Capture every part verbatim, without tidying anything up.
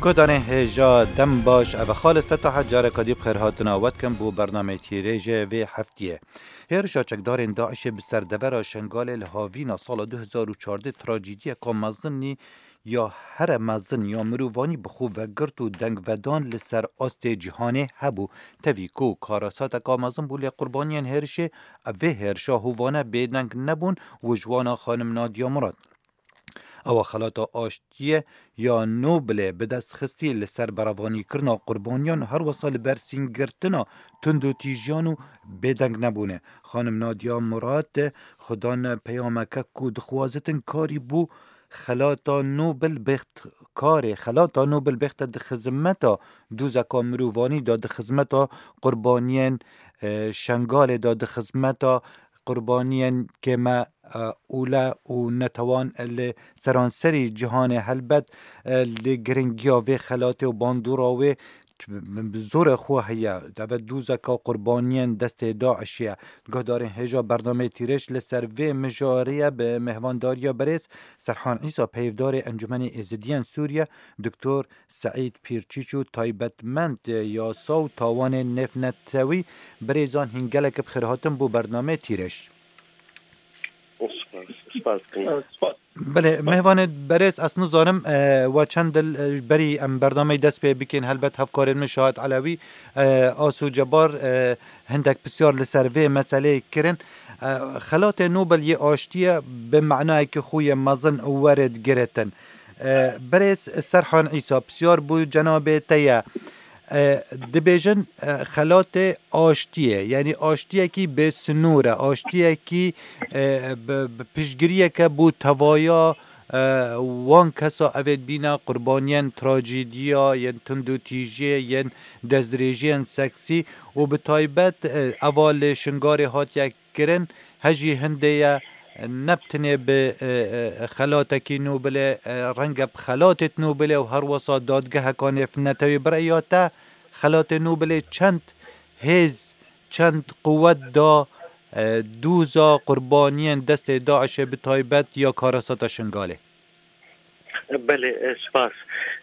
Guhdarên hêja dem baş, ev e Xalid Fetah, careka dî bi xêrhatina we dikim bo bernameyê tîrêjê vê heftiyê. Hêrişa çekdarên DAIŞê bi ser devera Şengalê li havîna sala du hezar û çardeh trajîdiyeka mezinî ya here mezin ya mirovanî bi xwe vegirt û dengvedan li ser astê cîhanê hebû. Tevî ku karasateka mezin bû, lê qurbaniyên hêrişê vê hêrişa hovane bêdeng nebûn û ji wana xanim Nadiya Murad. Ewa xelata aştiyê ya Nobilê bi dest xistî li ser berevanîkirina qurbaniyan, her wesa li ber sîngirtina tundûtîjiyan û bêdeng nebûne. Xanim Nadiya Murad xudan peyameke ku dixwazitin karî bû xelata Nobil bêxt karê xelata Nobil bêxte di xizmeta dûzeka mirovanî de, di xizmeta qurbaniyên, e, Şengalê de, di xizmeta qurbaniyên kême, e, ûle û netewan li seranserî cîhanê. Helbet, e, li giringiya vê xelatê û bandora wê bi zorê xwe heye. Deve dûzeka qurbaniyên destê DAIŞê ye. Guhdarên hêja bernameyê Tîrêj li ser vê mijarê ye bi mêhvandariya berêz Serhan Îsa, peyvdarê Encûmenê Êzidiyên Sûriye, Doktor Seîd Pîrçîç û taybetmend yasa û tawanên nêvnetewî birêzan hîn gelek bi xêr hatin bo bernameyê Tîrêj. Spas, spas dikim. Belê, mehvanê berêz, ez nizanim, e, we çend dil, e, berî em bernameyê dest pê bikin, helbet hevkarên min Şahid Elewî, e, Asu Cebar, e, hindek pisyar li ser vê meseleyê kirin. E, xelatê Nobel yê aştiyê bi manayekî xwe yê mezin û were digiritin. E, berêz Serhan Îsa, pisyar bo cenabê te ye. E, dibêjin, e, xelatê aştiyê, yanî aştiyekî bê sinûr e, aştiyekî, e, bi, bi piştgiriyeke bo tevaya, e, wan kesa evê dibîne qurbaniyên trajîdiya, yên tundûtîjiyê, yên destdirêjiyên seksî û bi taybet, e, eva li Şingalê hatiye kirin, hejî hindê ye, ne bi tenê bi, e, e, xelatekî Nobilê, e, renge bi xelatê Nobilê û her wesa dadgeheka nêvnetewî. Bi rêya te, xelatê Nobilê çend hêz, çend quwet da, e, dûza qurbaniyên destê DAIŞê, bi taybet ya karasata Şingalê? Belê, e, spas.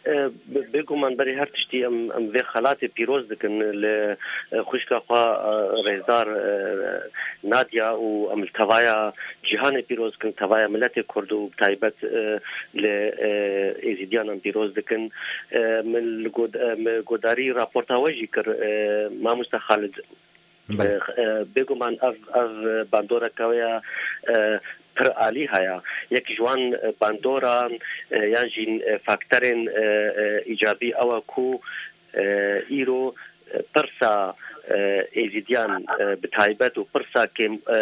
E, be-, bêguman berî her tiştî em, em vê xelatê pîroz dikin li, e, xwişka xwe, e, rêzdar, e, Nadia û em li tevaya cîhanê pîroz dikin, tevaya miletê Kurd û bi taybet, e, li, e, Êzîdiyan em pîroz dikin. E, min li god-, e, min godarî raporta we jî kir, e, mamoste Xalid. Belê. E, e, bêguman ev, ev bandoreke wê ya, e, pir alî heye. Yek ji wan, e, bandoran, e, yan jî, e, faktorên, e, e, îcabî ew e ku, e, îro, e, pirsa, e, Êzîdiyan, e, bi taybet û pirsa kêm, e,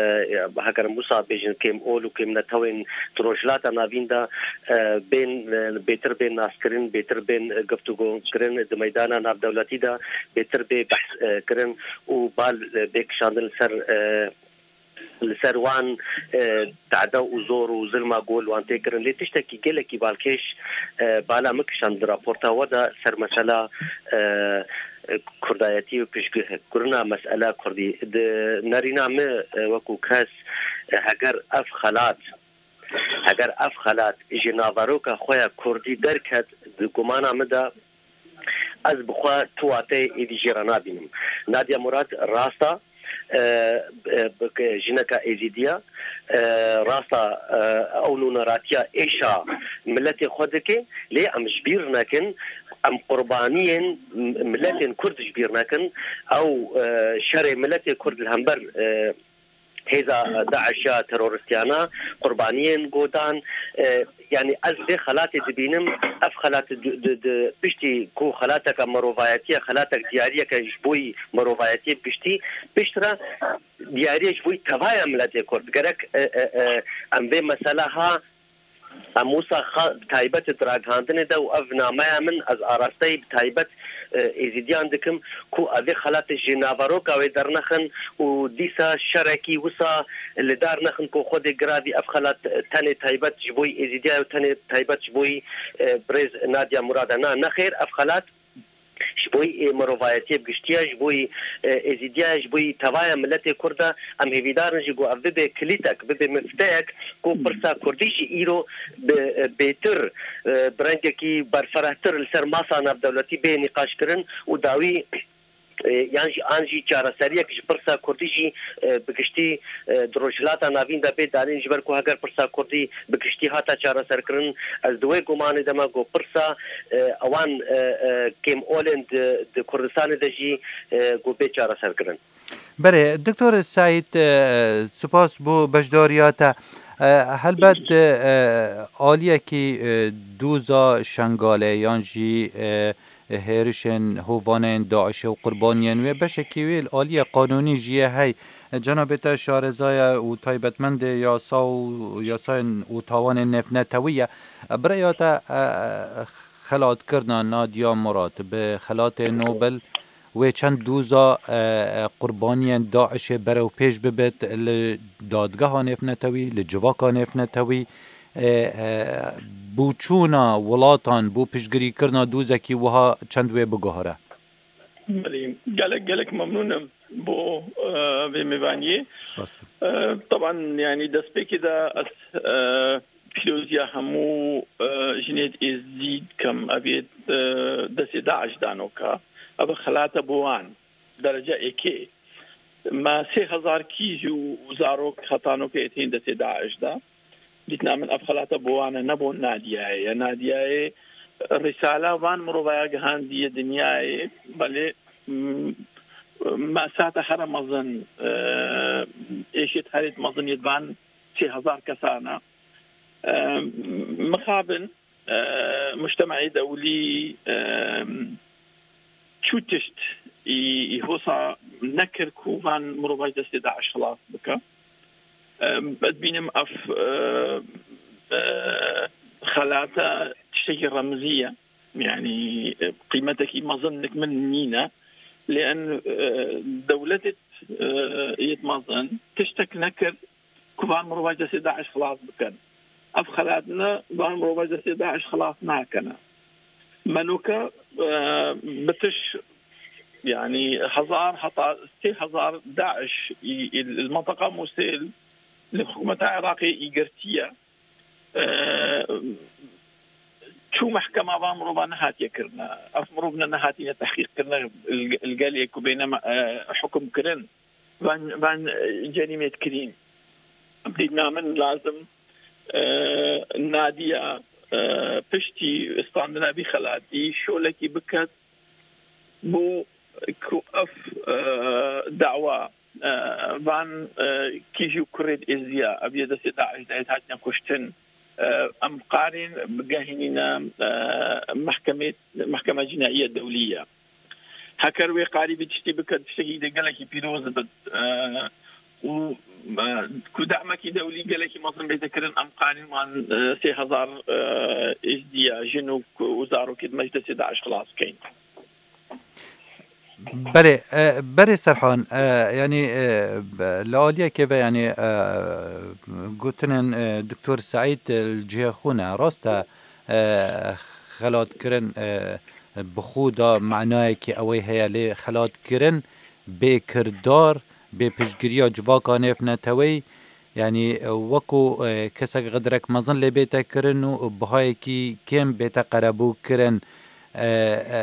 heger em wisa bêjin, kêm ol û kêm netewên di Rojhilata Navîn de, e, bên, e, bêtir bên naskirin, bêtir bên, e, guftûgo kirin, di meydana navdewletî de bêtir bê behs, e, kirin û bal, e, bê kişandin li ser, e, li ser wan, e, tade û zor û zilma ku li wan tê kirin. Lê tiştekî gelekî balkêş, e, bala min kişand di raporta we de ser mesela, e, kurdayetî û piştgirina mesela kurdî. Di nerîna min, e, wekû kes, e, heger ev xelat Heger ev xelat ji naveroka xwe ya kurdî derket, di gumana min de ez bi xwe tu wateyê êdî jê re nabînim. Nadia Murad rasta, e, e, bi-, jineka êzîdiya, e, rasta, e, ew nûneratiya êşa miletê xwe dike, lê em ji bîr nekin, em qurbaniyên miletên kurd ji bîr nekin, ew, e, şerê miletê kurd li hember, e, hêza DAIŞ ya teroristiyana qurbaniyên godan, e, yanî ez vê xelatê dibînim, ev xelat di, di, di, piştî ku xelateke mirovayetî ye, xelatek diyariyeke ji bo yî mirovayetiyê bi giştî, piştre diyariyê ji bo yî tevaya miletê Kurd. Gerek, e, e, e, em vê mesela ha Em wisa xwe bi taybet di ragihandinê de û ev nameya min, ez arasteyî bi taybet, e, Êzîdiyan dikim ku ev ê xelatê ji naveroka wê dernexin û dîsa şerekî wisa li dar nexin ku Xwedê giravî ev xelat tenê taybet ji bo yî Êzîdiya ye û tenê taybet ji bo yî, e, birêz Nadia Murad e. Na, nexêr, ev xelat Ji bo yê mirovayetiyê bi giştiya, ji bo yê, e, êzîdiya, ji bo yê tevaya miletê Kurd e, em hêvîdar in jî ku ev bibe kilîtek, bibe mifteyek, ku pirsa Kurdî jî îro bi, e, bêtir, e, bi rengekî berfirehtir li ser masa navdewletî bê nîqaşkirin û dawî, e, yan jî, an jî çareseriyek ji pirsa Kurdî jî, e, bi giştî, e, di Rojhilata Navîn de bê danîn, ji ber ku heger pirsa Kurdî bi giştî hate çareserkirin, ez di wê gumanê de me ku pirsa, e, ewan, e, e, kêmolên di, di Kurdistanê de jî, e, ku bê çareserkirin. Belê, Doktor Seîd, e, spas bo beşdariya te. E, helbet, e, aliyekî, e, doza Şengalê yan jî, e, hêrişên hovanên DAIŞê û qurbaniyên wê, beşekî wê li aliyê qanûnî jî ye hey. Cenabê te şareza ye û taybetmendê yasa û yasayên û tawanên nêvnetewî ye. Bi rêya te, e, xelatkirina Nadia Murad bi xelatê Nobel wê çend doza, e, e, qurbaniyên DAIŞê berewpêş bibit li dadgeha nêvnetewî, li civaka nêvnetewî, e, e, bûçûna welatan bo piştgirîkirina dozekî wiha çend wê biguhere? Belê, gelek, gelek memnûn im bo, e, vê mêvaniyê. Spas dikim. E, teban, yanî destpêkê de ez, e, pîroziya hemû, e, jinêd êzî dikim. Ev yê, e, destê DAIŞ danoka. Ev xelate bo wan. Derece êkê. Me sê hezar kîj û zarok heta noke yê tên destê DAIŞ de. Dîtina min ev xelate bo wan e, ne bo Nadiyayê ye. Nadiyayê risala van mirovaya gihandiye dinyayê, belê, m-, me'sata here mezin, e, êşêt herêt mezin yê van sê hezar kesan e. E, mixabin, e, mujtemaê dewlî, e, çû tişt î, î hosa nekir ku van mirovay destê DAIŞ xilas bike. E, ez dibînim ev, e, e, xelate tiştekî remzî ye. Yanî, e, qîmetekî mezin nik min nîne. Lê en, e, dewletê, e, yêt mezin tiştek nekir ku van mirovay destê DAIŞ xilas bikin. Ev xelatine van mirovay destê DAIŞ xilas nakene. Menoke, e, bitiş, yanî hezar heta sê hezar DAIŞ î, î, li menteqa Mûsêl li hikûmeta Iraqê î girtiye. E, çû mehkema van mirova nehatiye kirine. Ev mirov ne, nehatine tehqîq kirine, li, li gelê ku bêne me, e, hukum kirin. Van, van, e, cerîmêt kirîn. Dîna min lazim, e, Nadiya, e, piştî standina vî xelatî şolekî biket bo ku ev, e, dawa, e, van, e, kîjî û kurêt êziya, ev yê destê DAIŞ de yêt hatine kuştin, e, em qarîn bigehînîne, e, mehkemê, mehkeme cînaiye dewlî ye. Heker wê qarî vî tiştî bike, tiştekî de gelekî pîroz bit. E, û, e, ku demekî dewlî gelekî mezin bête kirin, em qarîn wan, e, sê hezar, e, êzdiya, jin û, û zarokê di meclisê DAIŞ xilas bikeyn. Belê, e, berê Serhan, e, yanî, e, be-, li aliyekê ve, yanî, e, gotinên, e, Doktor Seîd, e, li cihê xwe ne. Rast e, e, xelatkirin, e, bi xwe de manayekî ew ê heye, lê xelatkirin bê kirdar, bê piştgiriya civaka nêvneteweyî, yanî, e, wekû, e, kesek xedirek mezin lê bête kirin û bihayekî kêm bête qerebû kirin. E, e,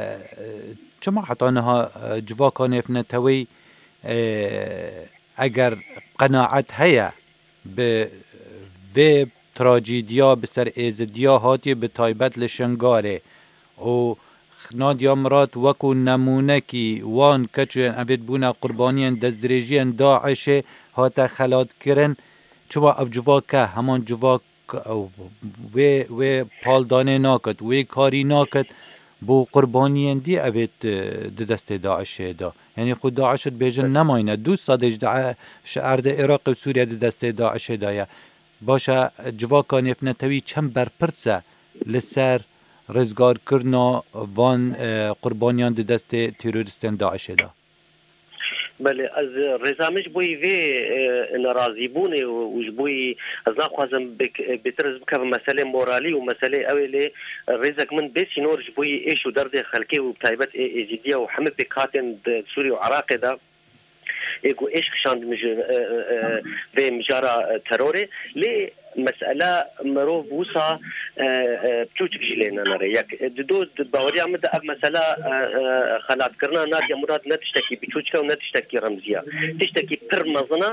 çima heta niha, e, civaka nêvneteweyî, e, eger qenaet heye bi vê trajîdiya bi ser êzidiya hatiye, bi taybet li Şingalê û Nadia Murad wekû nemûnekî wan keçên evêt bûne qurbaniyên destdirêjiyên DAIŞê hate xelatkirin. Çima ev civak e, heman civak, e, wê, wê paldanê nakit, wê karî nakit, bo qurbaniyên dî evêt, e, di destê DAIŞê de. Yanî xwe DAIŞ dibêjin nemayne. Du sedê ji DAIŞ erdê Iraqê û Sûriye di destê DAIŞê de ye. Baş e, civaka nêvnetewî çend berpirs e li ser rizgarkirina van, e, qurbaniyan di destê terorîstên DAIŞê de? Belê, ez rêza min ji bo vê, e, nerazîbûnê û, û ji bo ez naxwazim bêk-, bêtir ez bikevim meselê moralî û meselê ew ê lê rêzek min bê sînor ji bo êş û derdê xelkê û bi taybet ê Êzîdiya û hemî pêkhatên di Sûrî û Iraqê de ê ku êş kişandin ji, e, e, e, vê mijara, e, terorê. Lê mesela mirov wisa, e, e, çûçik jî lê nenere. Yek, e, dido, di baweriya min de ev mesela, e, e, xelatkirina Nadia Murad ne tiştekî biçûçik e û ne tiştekî remzî ye. Tiştekî pir mezin e,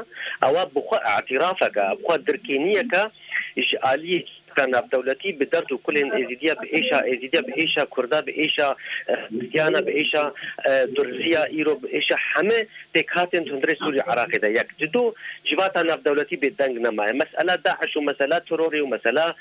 ewa bi xwe îtirafek e, bi xwe dirkêniyek e ji aliyê civaka navdewletî bi derd û kulên Êzîdiya, bi êşa Êzîdiya, bi êşa Kurda, bi êşa, e, Xristiyana, bi êşa, e, Durziya, îro bi êşa hemî pêkhatên hundirê Sûrî û Iraqê de. Yek, dido, civata navdewletî bêdeng nemaye. Mesela DAIŞ û mesela terorê û mesela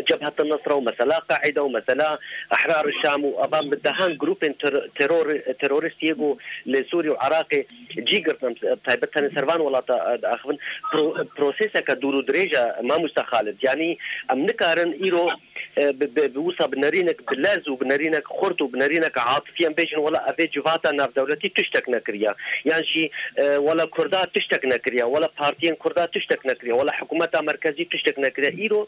Cebhet Nusra û mesela Qaîde û mesela Ehrar Şam û evan bi dehan grûpên ter-, teror-, terorîstiyê ku li Sûrî û Iraqê cî girtin, em taybet tenê ser van welata, e, diaxivin. Pro-, proseseke dûr û dirêj e, mamoste Xalid. Yanî em nikarin îro, e, bi, bi, bi wisa bi nerînek, bi lez û bi nerînek xurt û bi nerînek atifî em bêjin, wela evê civata navdewletî tiştek nekiriye. Yan jî, e, wela Kurda tiştek nekiriye, wela partiyên Kurda tiştek nekiriye, wela hikûmeta merkezî tiştek nekiriye. Îro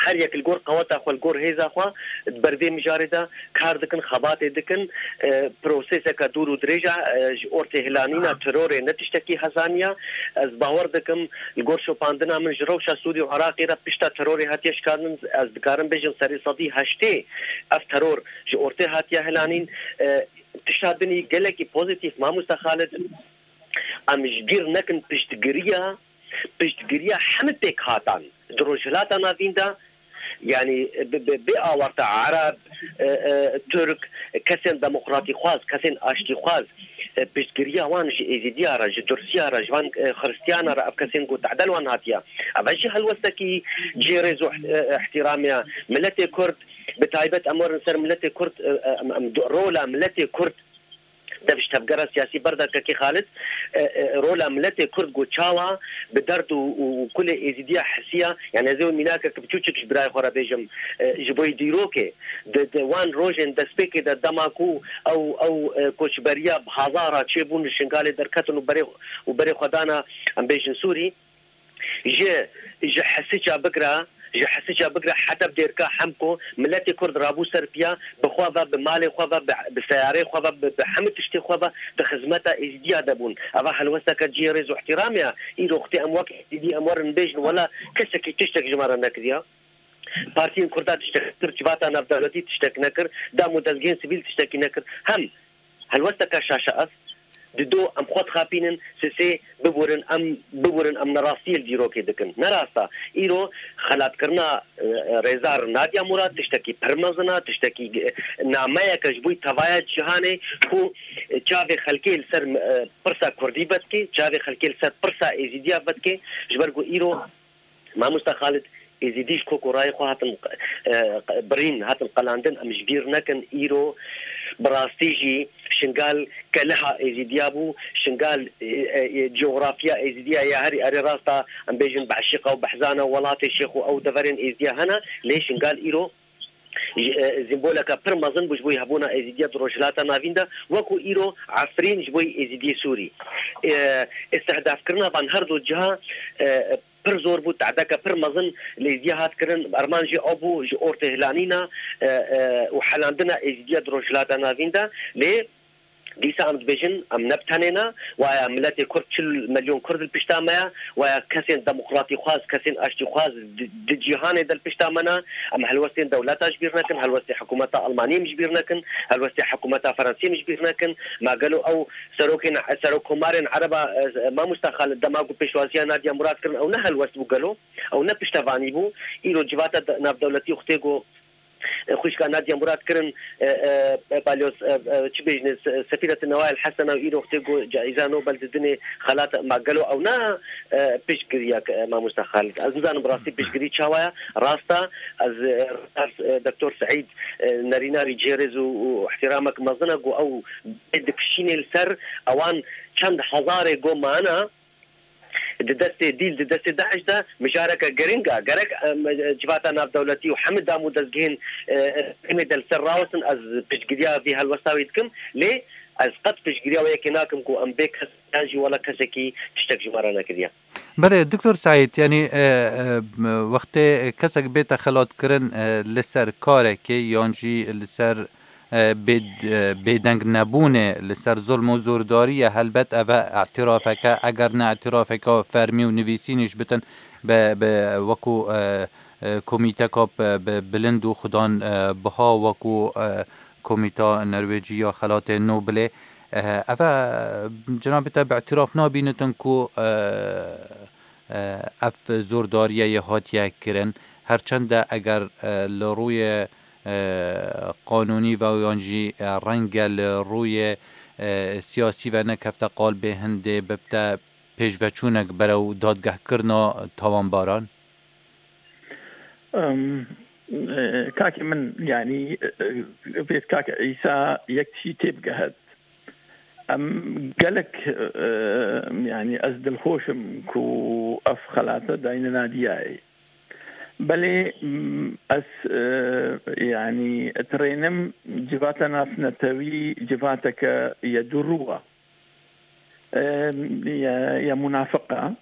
her yek li gor qeweta xwe, li gor hêza xwe di ber vê mijarê de kar dikin, xebatê dikin. E, proseseke dûr û dirêj e, e, ji ortê hilanîna terorê ne tiştekî hezanî ye. Ez bawer dikim, li gor şopandina min ji rewşa Sûrî û Iraqê re pişta terorê hatiye şikandin, ez dikarim bêjim serê sedî heştê ev teror ji ortê hatiye hilanîn. E, tişta din jî gelekî pozîtîf, mamoste Xalid, em ji bîr nekin piştgiriya, piştgiriya hemî pêkhatan di Rojhilata Navîn de, yanî bi, bi, bê awarte Ereb, e, e, Tirk, kesên demokratîxwaz, kesên aştîxwaz, e, piştgiriya wan ji Êzîdiya re, ji Dursiya re, ji van, e, Xiristiyana re, ev kesên ku tehde li wan hatiye. Ev jî helwestekî cihê rêz û, e, ihtiramê ye. Miletê Kurd, bi taybet em werin ser miletê Kurd, e, e, em, em, rola miletê Kurd dev ji tevgera siyasî berdakekê Xalid, e, e, rola miletê Kurd ku çawa bi derd û, û, û kulê Êzîdiya hisiya, yani ez ê mînakek biçûçik ji birayê xwe re bêjim, e, ji bo dîrokê, di, di wan rojên destpêkê de dema ku ew, ew, e, koçberiya bi hezara çêbûn li Şingalê derketin û berê, û berê xwe dana, em bêjin Sûrî, ji, ji Hesiça bigre, ji Hesiça bigre heta bi Dêrka Hemko, miletê Kurd rabû ser piya, bi xwe ve, bi malê xwe ve, bi, bi seyarê xwe ve, bi, bi hemî tiştê xwe ve di xizmeta Êzîdiya de bûn. Eva helwesteke cihê rêz û ihtiramê ye. Îro wextê em wek Êzîdî em werin bêjin, wela kesekî tiştek ji me re nekiriye. Partiyên Kurda tiştek nekir, civata navdewletî tiştek nekir, dam û dezgehên sivîl tiştekî nekir. Hem helwesteke şaş e ev. Dido em xwe dixapînin, sisê biburin, em biburin, em nerastiyê li dîrokê dikin. Ne rast e. Îro xelatkirina, e, rêzdar Nadia Murad tiştekî pir mezin e, tiştekî, e, nameyeke ji bo tevaya cîhanê ku, e, çavê xelkê li ser, e, pirsa Kurdî vedikê, çavê xelkê li ser pirsa Êzîdiya vedikê, ji ber ku îro Mamoste Xalid, Êzîdî ji kok û rayê xwe hatin, e, birîn, hatin qelandin, em ji bîr nekin. Îro bi rastî jî Şingal keleha Êzîdiya bû. Şingal, e, e, e, coğrafya Êzîdiya ya herî erê rasta, em bêjin Beşîqa û Behzana, welatê Şêx û ew deverên Êzîdiya hene, lê Şingal îro ji, e, sîmboleke pir mezin bû ji bo hebûna Êzîdiya di Rojhilata Navîn de, wekû îro Efrîn ji bo Êzîdiyê Sûrî. E, îstihdafkirina van her du ciha, e, pir zor bû, tehdeke pir mezin li Êzîdiya hat kirin. Armanc jî ew bû, ji ortê hilanîna, e, e, û helandina Êzîdiya di Rojhilata Navîn de. Lê dîsa em dibêjin, em ne bi tenê ne, waya miletê Kurd, çil milyon Kurd li pişta me ye, waya kesên demokratîxwaz, kesên aştîxwaz di, di cîhanê de li pişta me ne. Em helwestên dewleta ji bîr nekin, helwestê hikûmeta Almaniyê em ji bîr nekin, helwestê hikûmeta Fransiyê em ji bîr nekin. Ma gelo ew serokên, serokkomarên Ereba, e, mamosta Xalid, dema ku pêşwaziya Nadia Murad kirin, ew ne helwest bû gelo? Ew ne piştevanî bû? Îro civata de-, navdewletî wextê ku, e, xwişka Nadia Murad kirin, e, e, e, balyoz, e, e, çi bêjinê, se-, sefîret Newayel Hesena û îro wextê ku caîza Nobel didinê xelat, ma gelo ew ne, e, piştgiriyek, e, mamosta Xalid? Ez nizanim bi rastî piştgirî çawa ye. Rast e, ez, e, ez, e, Doktor Seîd, e, nerîna rî cihê rêz û, û ihtirameke mezin e ku ew bê dikişînê li ser ewan çend hezarê ku mane, di destê dîl, di destê DAIŞ de mijareke giring e. Gerek, em, civata navdewletî û hemî dam û dezgehên, e, em ê de li ser rawestin, ez piştgiriya vî helwesta wî dikim. Lê Ez qet piştgiriya wê yekê nakim ku em bê kes yan jî wela kesekî tiştek ji me re nekiriye. Belê, Doktor Seîd, yanî, e, e, wextê kesek bête xelatkirin, e, li ser karekê yan jî li ser, e, bê-, e, bêdeng nebûnê, li ser zulm û zordariyê, helbet ev e îtirafeke, eger ne îtirafeke fermî û nivîsînî jî bitin bi, bi wekû, e, e, komîteka bi, bi bilind û xudan, e, biha wekû, e, Komîta Norwêcî ya Xelatê Nobelê. E, ev e, cenabê te bi îtiraf nabînitin ku, e, e, ev zordariyê hatiye kirin. Her çend e eger, e, li rûyê, e, qanûnî ve yan jî, e, renge li rûyê, e, siyasî ve nekefte qalbê hindê bibte pêşveçûnek berew dadgehkirina tawanbaran? Em, e, kakê min, yanî, e, e, vê kak Îsa yek tişî têbigehet. Em gelek, e, yanî ez dilxweş im ku ev xelate dayne Nadiyayê. Belê, m, ez, e, yanî, dirênim civata navnetewî civateke ye dûrû e. E, ye, ye munafiq e.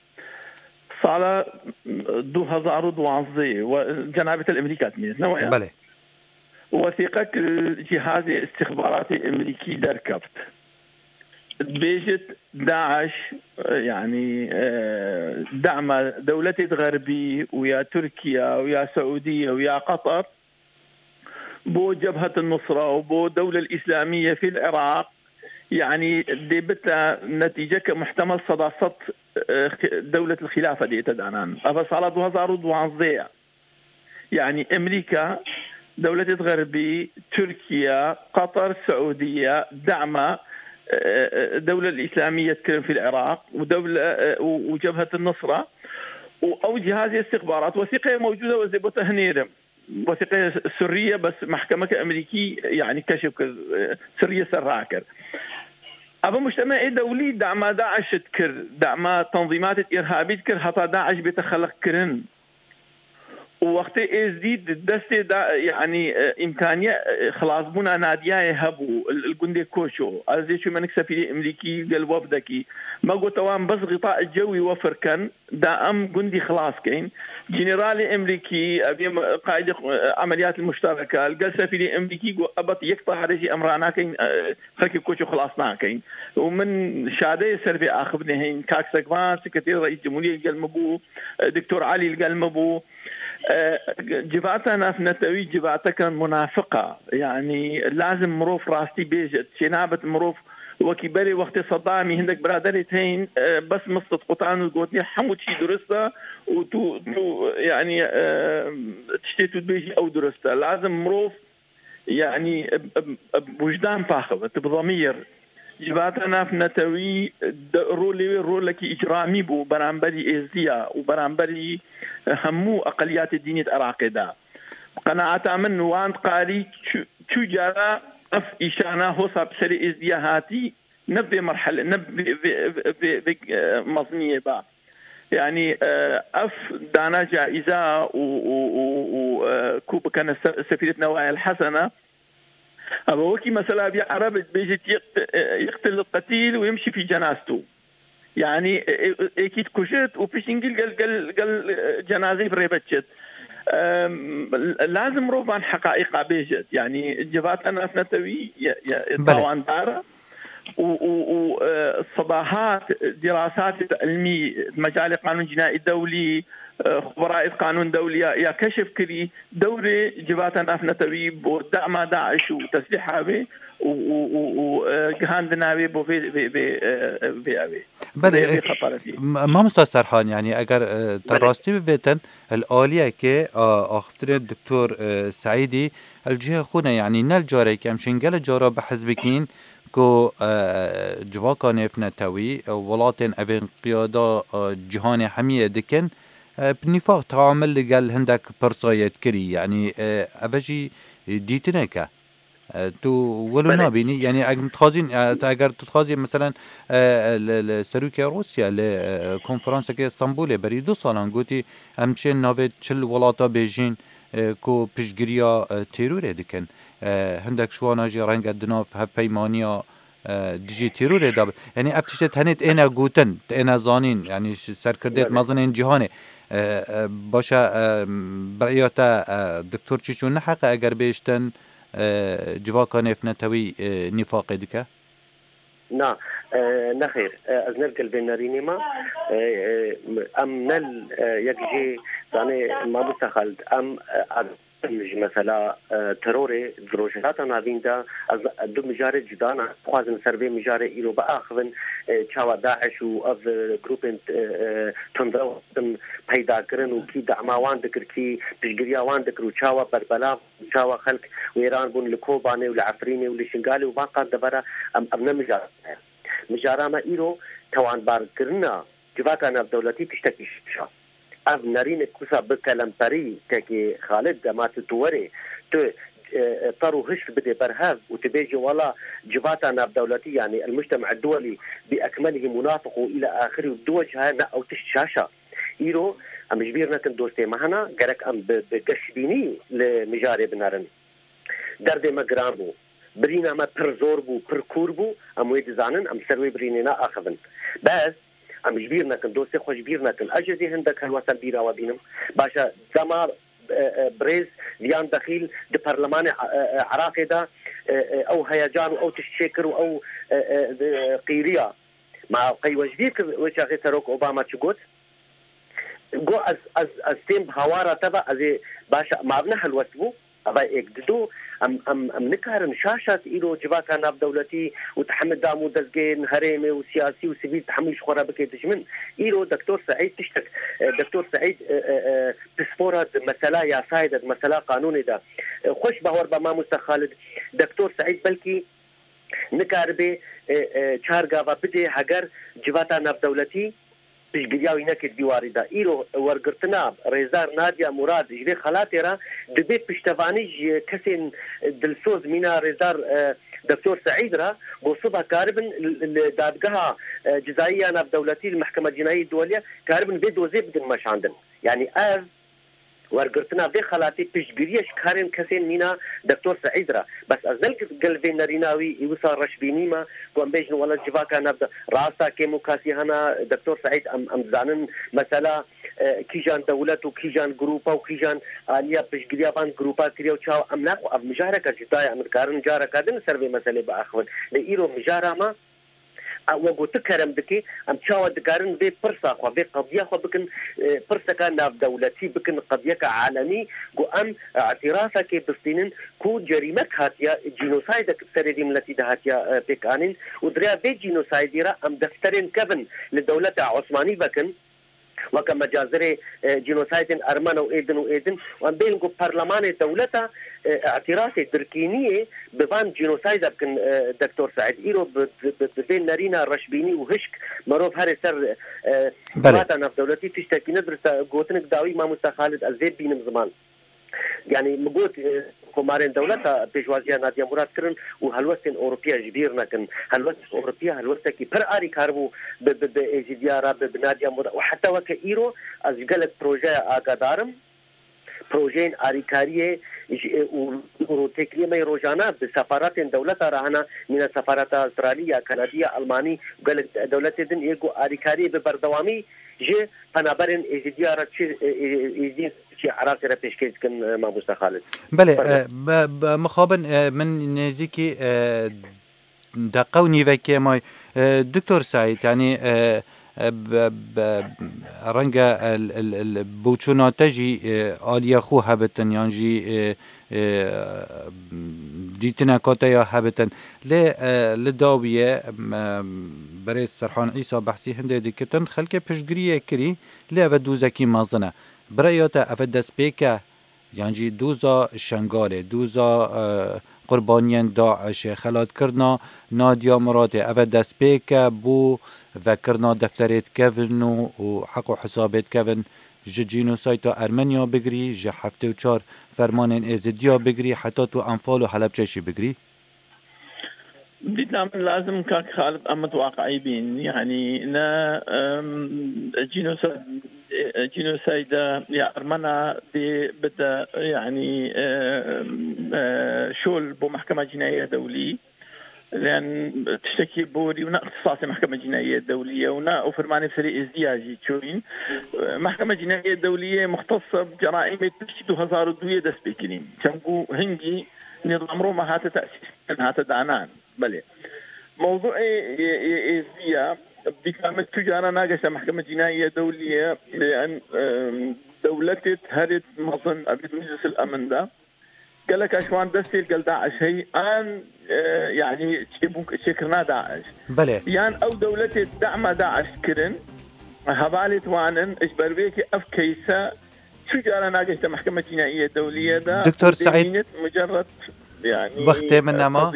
Sala du hezar û duwazdeh we, cenabê te li Amerîka dimîne, ne waya? Belê. Wesîqek li cihazê istixbaratê Amerîkî derkeft. Dibêjit DAIŞ, e, yanî, e, dema dewletê xerbî û ya Tirkiye û ya Seûdiye û ya Qatar bo Cebhet Nusra û bo Dewle Îslamiye fî Iraq, yanî dê bite netîceke muhtemel seda sed, e, xi-, dewlet xîlafe dê te danan. Eva sala du hezar û duwazdeh ye. Yanî Amerîka, dewletê xerbî, Tirkiye, Qatar, Seûdiye, dema, e, e, Dewle Îslamiye dikirin fî Iraq û dewle, e, û, û Cebhet Nusra û ew cihazê istixbarat wesîqeyê mewcûd e, ez ê bo te hinêrim. Wesîqe sirrî ye, bes mehkemeke Amerîkî, yanî keşif kir, e, sirrî ye ser rakir. Eva mujtemeê dewlî dema DAIŞ dikir, dema tenzîmatê îrhabî dikir, heta DAIŞ bête xelqkirin. Û wextê Êzdî di destê de, yanî, e, îmkaniye, e, xilasbûna Nadiyayê hebû, li, li gundê Koço. Ez ê çûme nik sefîrê Amerîkî gel wefdekî. Me got, ewan bes xîta cewî wefir ken, da em gundî xilas keyn. Generalê Amerîkî, ev yê qaîdê, e, emeliyatê muştereke, li gel sefîrê Amerîkî got, ebet yek pare jî em ranakeyn, e, xelkê Koço xilas nakeyn. Û min şadeyê ser vê axiftinê heyîn, kak Sekvan, sekreterê reîs cumhuriyê li gel min bû, e, Doktor Elî li gel min bû. E, civata navnetewî civateke munafiq e. Yanî lazim mirov rastî bêje. Çênabit mirov wekî berê wextê Sedamî hindek biraderê tên, e, bes mist qutan û gotinê hemû tişî durist e û tu, tu, yanî, e, tiştê tu dibêjî ew durist e. Lazim mirov, yanî, e, e, e, wijdan paxive, tu bi zemîr. Civata navnetewî de rolê wê rolekî îcramî bû beramberî Êzdiya û beramberî hemû eqeliyatê dînî di Iraqê de. Bi qenaeta min wan diqarî çu-, çu cara ev îşana hosa bi serê Êzdiya hatî, ne vê merhele, ne vê, vê, vê, vê, vê, e, meziniyê ba. Yanî, e, ev dana caiza û, û, û, û, e, ku bikene se-, sefîret Newayel Hesene, Eva wekî mesela vî Ereb dibêjit, "Yekt-, e, yektil qetîl û yemşî fî cenastu." Yanî, e, e, êkî dikujit û piştî gel, gel, gel, gel, e, cenazeyê bi rêve çit. Em, lazim mirov van heqaîqa bêjit. Yanî, civata navnetewî ye, ye, Belê. tawandar e. û, û, û, e, sedahat dirasatê ilmî, mecalê qanûn cînaî dewlî, e, xuberayê qanûn dewlî ya, ya keşif kirî, dewrê civata navnetewî bo dema DAIŞ û teslîha wê û, û, û, û, e, gihandina wê bo vê, vê, vê, e, vê, vê, Belê, vê, vê e, xeparetî. M-, Mamosta Serhan, yanî eger, e, te Belê. rastî bivêtin, li aliyekê, a, axiftinê Doktor, e, Seîdî, li cihê xwe ne, yanî ne li carekê em şên gelek cara bi hez bikîn, ku, e, civaka nêvnetewî, e, welatên evên qiyada, e, cîhanê hemiyê dikin, e, bi nîfaq teamil li gel hindek pirsa yê dikirî. Yanî, e, ev jî dîtinek e. E, tu wilo Belê. nabînî, yanî eger dixwazîn, e, te eger tu dixwazî, meselen, e, li, li serokê Rûsya li, e, konferansekê Stenbolê berî du salan gotî, em çên navê çil welata bêjîn, e, ku piştgiriya, e, terorê dikin. E, hindek ji wana jî renge di nav hevpeymaniya e, dijî terorê de be. Yanî ev tiştê tenê têne gotin, têne zanîn, yanî ji serkirdêt Belê. mezinên cîhanê. E, e, baş e, e, bi rêya te, e, Doktor Çîço neheqe eger bêjtin, e, civaka nêvnetewî, e, nîfaqê dike? Na, e, nexêr, e, ez ne gel vê nerînê me. E, e, em ne, e, yek jê, zanê, mamoste Xalid, em, e, em ji mesela, e, terorê di Rojhilata Navîn de, ez du mijarê cuda ne, dixwazim ser vê mijarê îro biaxivin, e, çawa DAIŞ û ev, e, grûpên, e, e, tundrew hatin peyda kirin û kî dema wan dikir, kî piştgiriya wan dikir û çawa berbelav, çawa xelk wêran bûn li Kobanê û li Efrînê û li Şingalê û van qas devera em, ev ne mijara me ye. Mijara me îro tewanbarkirina civaka navdewletî tiştekî şaş e. Ev nerînek wisa bi kelemperî tekê Xalid dema tu, tu werê, tu, e, e, tar û hişk bidê ber hev û tu bêjî wela civata navdewletî, yanî el-mujtema duwelî bi ekmelihî munafiq û île axirî û duwec heye, ne ew tişt şaş e. Îro em ji bîr nekin dostê me hene, gerek em bi, bi geşbînî li mijarê binerin. Derdê me giran bû. Birîna me pir zor bû, pir kûr bû. Em wê dizanin, em ser wê birînê naaxivin. Bes, em ji bîr nekin, dostê xwe ji bîr nekin. Ez jî zê hindek helwestem bîra we bînim. Baş e, dema, e, e, birêz Viyan Dexîl di perlemanê, e, e, Iraqê de, e, e, ew heyecan û ew tişt çêkir û ew, e, e, e, qîriya. Ma qey we ji bîr kir wê çaxê Serok Obama çi got? Got, ez, ez, ez têm bi hawara te ve, ez ê, baş e, ma ev ne helwest bû? Eva êk dido, em, em, em nikarin şaşat îro civaka navdewletî û te hemî dam û dezgehên herêmê û siyasî û sivîl te hemî ji xwe re bike dijmin. Îro Doktor Seîd tiştek, e, Doktor Seîd, e, e, e, pispor e di mesela yasayê de, di mesela qanûnê de. E, xweş bawer be mamoste Xalid, Doktor Seîd belkî nikaribe, e, e, çar gava bidê heger civata navdewletî piştgiriya wî neke di dîwarî de. Îro wergirtina rêzdar Nadia Murad ji vê xelatê re dibe piştevanî ji kesên dilsoz mîna rêzdar, e, Doktor Seîd re, ku sibe karibin li, li dadgeha, e, cizayî ya navdewletî, li Mehkema Cînayî Duwelî karibin vê dozê bidin meşandin. Yanî ev wergirtina vê xelatê piştgirî ye ji karên kesên mîna Doktor Seîd re. Bes ez ne li gel vê nerîna wî wisa reşbînî me, ku em bêjin wela civaka navde-, rasta kêmûkasî hene, Doktor Seîd, em, em dizanin mesela, e, kîjan dewlet û kîjan grûpa û kîjan aliya piştgiriya van grûpa kiriye û çawa em naxwe ev mijareke cuda ye, em dikarin careke din li ser vê meselê biaxivin. Lê îro mijara me, e, wek ku tu kerem dikî, em çawa dikarin vê pirsa xwe, vê qediya xwe bikin, e, pirseke navdewletî, bikin qediyeke alemî, ku em, e, îtirafekê bistînin ku cerîmek hatiye, cînosaydek serê vî miletî de hatiye, e, pêkanîn û di rêya vê cînosaydî re em defterên kevin li dewleta Osmanî vekin, weke mecazirê, e, cînosaydên Ermene û êdin û êdin, û em bêjin ku perlemanê dewleta, e, îtirafê dirkîniyê bi van cînosayda bikin, e, Doktor Seîd. Îro bi, bi, bi, bi vê nerîna reşbînî û hişk merov herê ser, e, Belê. Civata navdewletî tiştekî ne dirist e. Gotinek dawî mamoste Xalid ez vê bînim ziman. Yanî min got, e, komarên dewleta pêşwaziya Nadia Murad kirin û helwestên Ewropiya ji bîr nekin. Helwestên Ewropiya helwestekî pir alîkar bû bi, bi, bi Êzidiya re, bi, bi Nadia Murad û heta weke îro ez ji gelek projeya agadar im. Projeyên alîkariyê ji, e, û, û rûtêkiriyê me yê rojane bi sefaratên dewleta re hene, mîna sefareta Astralî ya Kanadî ya Almanî û gelek dewletê din yê ku alîkariyê bi berdewamî ji penaberên Êzidiya re çi, e, e, Êzidiyên Tirkiyê Iraqê re pêşkêş dikin, e, mamoste Xalid. Belê, Fermo. e, be, be, mixabin, e, min nêzîkî, e, deqe û nîvekê may. E, Doktor Seîd, yanî, e, e, be, be, renge, e, l, l, l, boçûna te jî, e, aliya xwe hebitin, yan jî, e, e, dîtineka te ya hebitin. Lê, e, li dawiyê, em, em, berêz Serhan Îsa behsî hindê dikitin, xelkê piştgiriyê kirî, lê ev e dozekî mezin e. Bi rêya te ev e destpêk e, yan jî doza Şengalê, doza, e, qurbaniyên DAIŞê, xelatkirina Nadia Muradê, ev e destpêk e bo vekirina defterêt kevin û, û heq û hesabêt kevin ji cînosayda Ermeniya bigirî, ji heftê û çar fermanên Êzidiya bigirî, heta tu Enfal û Helebçe jî bigirî? Dîtina min lazim kak Xalid em mitwaqi'î bîn. Yanî ne, em, cînosa-, e, cînosayda ya Ermena dê bide, yanî, e, e, şol bo Mehkema Cînayî ya Dewlî. لأن تشتكي بوري ونا اختصاصي محكمة جنائية دولية ونا وفرماني بسري ازدياجي تشوين. محكمة جنائية دولية مختصة بجرائم تشتكي دو هزار ودوية دس بكرين. تنقو هنجي نظام روما هاتا تأسيس، هاتا دانان. بلي. موضوع ازديا بكامل تجارة ناقشة محكمة جنائية دولية، لأن دولتت هرت مظن أبيت مجلس الأمن ده. قال لك أشوان دستي قال داعش هي آن، يعني شكرنا داعش. بلي. يعني أو دولتت دعم داعش كرن، هبالت وانن، إجبر بيكي أف كيسة، شو جارة ناقشة محكمة جنائية دولية ده. دكتور سعيد. مجرد يعني وقت من نما.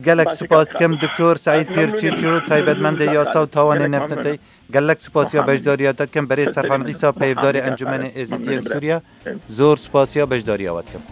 قالك سپاس دکەم دکتۆر سعید پێرچیچ و تایبەتمەندی یاسا و تاوانێ نەفتەی. گەلەک سپاسیا بەشداریاتە دکەم بەرێ سەرخان ئیسا پەیڤدارێ ئەنجومەنێ ئێزیدیە سووریا. زۆر سپاسیا بەشداریاوە دکەم.